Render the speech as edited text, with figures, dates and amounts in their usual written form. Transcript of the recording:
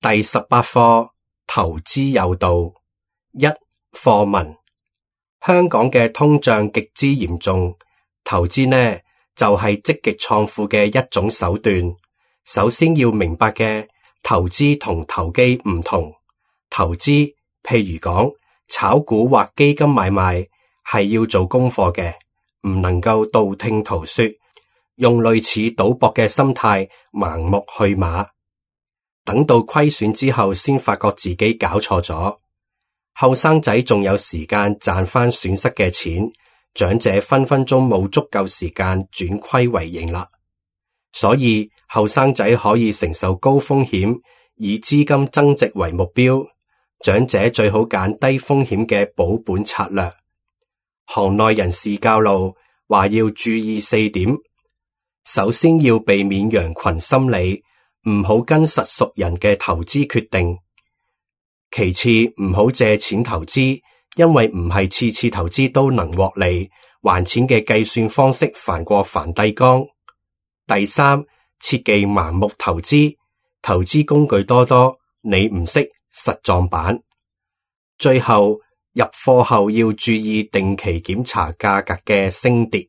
第18課投資有道。一、課文。香港嘅通脹極之嚴重，投資呢就係積極創富嘅一種手段。首先要明白嘅，投資同投機唔同。投資譬如講炒股或基金買賣係要做功課嘅，唔能夠道聽途說，用類似賭博嘅心態盲目去馬，等到虧損之後先發覺自己搞錯咗。後生仔仲有時間賺翻損失嘅錢，長者分分鐘冇足夠時間轉虧為盈啦。所以後生仔可以承受高風險，以資金增值為目標，長者最好揀低風險嘅保本策略。行內人士教路話要注意4點：首先要避免羊群心理，唔好跟實屬人嘅投資決定。其次，唔好借錢投資，因為唔係次次投資都能獲利，還錢嘅計算方式煩過梵蒂岡。第三，切忌盲目投資，投資工具多多，你唔識實撞板。最後，入貨後要注意定期檢查價格嘅升跌。